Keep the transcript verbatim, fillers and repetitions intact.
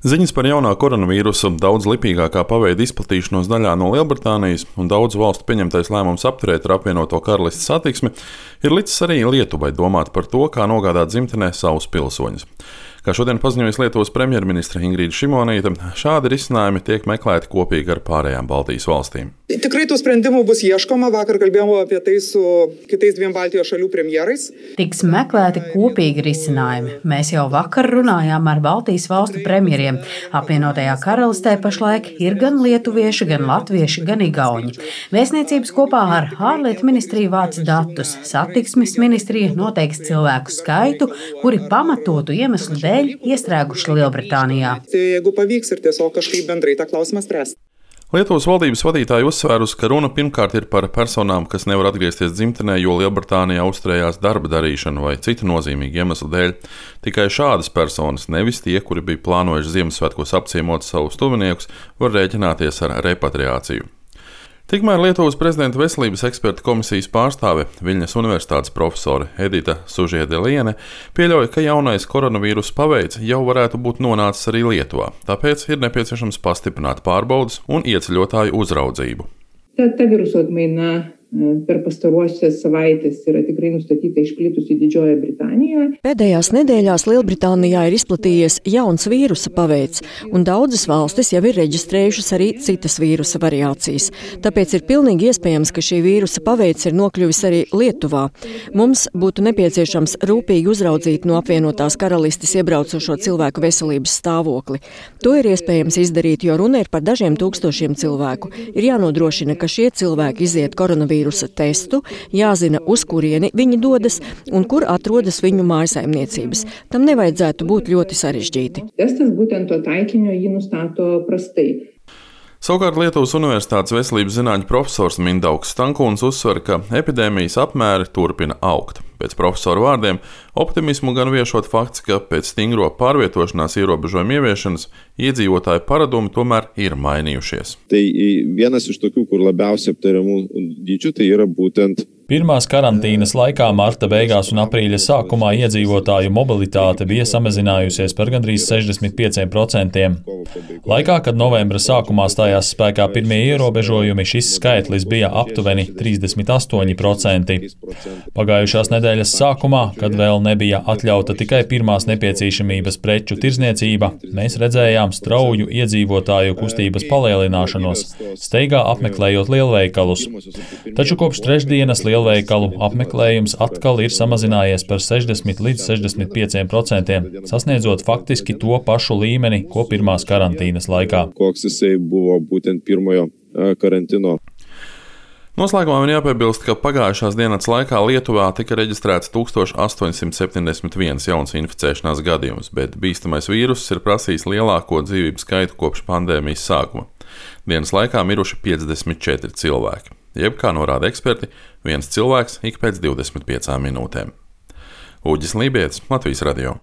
Ziņas par jaunā koronavīrusa daudz lipīgākā paveida izplatīšanos daļā no Lielbritānijas un daudzu valstu pieņemtais lēmums apturēt ar apvienoto karalisti satiksmi ir licis arī Lietuvai domāt par to, kā nogādāt dzimtenē savus pilsoņus. Kā šodien paziņojas Lietuvas premjerministre Ingrīda Šimonytė, šādi risinājumi tiek meklēti kopīgi ar pārējām Baltijas valstīm. Tikrai tų sprendimų bus ieškoma. Vakar kalbėjome apie tai su kitais dviem Baltijos šalių premjerais. Tiks meklēti kopīgi risinājumi. Mēs jau vakar runājām ar Baltijas valstu premjeriem. Apvienotajā karalistē pašlaik ir gan lietuvieši, gan latvieši, gan igauņi. Vēstniecības kopā ar ārlietu ministriju vāc datus. Satiksmes ministrija noteiks cilvēku skaitu, kuri pamatotu iemeslu dēļ iestrēguši Lielbritānijā. Jeigu pavyks ir tiesiog kažkaip bendrai tą klausimą spręsti. Lietuvas valdības vadītāji uzsvērusi, ka runa pirmkārt ir par personām, kas nevar atgriezties dzimtenē, jo Lielbritānijā uzturējās darba darīšanu vai citu nozīmīgu iemeslu dēļ. Tikai šādas personas, nevis tie, kuri bija plānojuši Ziemassvētkos apciemot savus tuviniekus, var rēķināties ar repatriāciju. Tikmēr Lietuvas prezidenta veselības eksperta komisijas pārstāve Viļņas universitātes profesore Edita Sužiedeliene pieļauj, ka jaunais koronavīrusa paveids jau varētu būt nonācis arī Lietuvā, tāpēc ir nepieciešams pastiprināt pārbaudes un ieceļotāju uzraudzību. Ta, ta viruso atmaina per pastaruosias savaitės yra tikrai nustatyta išplitusi Didžiojoje Britanijoje. Pēdējās nedēļās Lielbritānijā ir izplatījies jauns vīrusa paveids, un daudzas valstis jau ir reģistrējušas arī citas vīrusa variācijas. Tāpēc ir pilnīgi iespējams, ka šī vīrusa paveids ir nokļuvis arī Lietuvā. Mums būtu nepieciešams rūpīgi uzraudzīt no apvienotās karalistes iebraucošo cilvēku veselības stāvokli. To ir iespējams izdarīt, jo runa ir par dažiem tūkstošiem cilvēku. Ir jānodrošina, ka šie cilvēki iziet koronavīrusa testu, jāzina, uz kurieni viņi dodas un kur atrodas viņu mājsaimniecības. Tam nevajadzētu būt ļoti sarežģīti. Testas būtent to taikinio jį nustato prastai. Savukārt Lietuvas Universitātes veselības zinātņu profesors Mindaugs Stankūns uzsver, ka epidēmijas apmēri turpina augt. Pēc profesora vārdiem optimismu gan viešot fakts, ka pēc stingro pārvietošanās ierobežojumu ieviešanas iedzīvotāju paradumi tomēr ir mainījušies. Tai vienas iš tokių, kur labiausiai aptariamų dydžių, tai yra būtent Pirmās karantīnas laikā marta beigās un aprīļa sākumā iedzīvotāju mobilitāte bija samazinājusies par gandrīz sešdesmit pieciem procentiem. Laikā, kad novembra sākumā stājās spēkā pirmie ierobežojumi, šis skaitlis bija aptuveni trīsdesmit astoņi procenti. Pagājušās nedēļas sākumā, kad vēl nebija atļauta tikai pirmās nepieciešamības preču tirzniecība, mēs redzējām strauju iedzīvotāju kustības palielināšanos, steigā apmeklējot lielveikalus. Taču kopš trešdienas lielveikalu apmeklējums atkal ir samazinājies par sešdesmit līdz sešdesmit pieciem procentiem, sasniedzot faktiski to pašu līmeni, ko pirmās karantīnas laikā. Koks jisai buvo būtent pirmojo karantino. Noslēgumā man jāpiebilst, ka pagājušās dienas laikā Lietuvā tika reģistrēts tūkstoš astoņsimt septiņdesmit viens jauns inficēšanās gadījums, bet bīstamais vīruss ir prasījis lielāko dzīvību skaitu kopš pandēmijas sākuma. Dienas laikā miruši piecdesmit četri cilvēki. Jeb, kā norāda eksperti, viens cilvēks ik pēc divdesmit piecām minūtēm. Uģis Lībietis, Latvijas radio.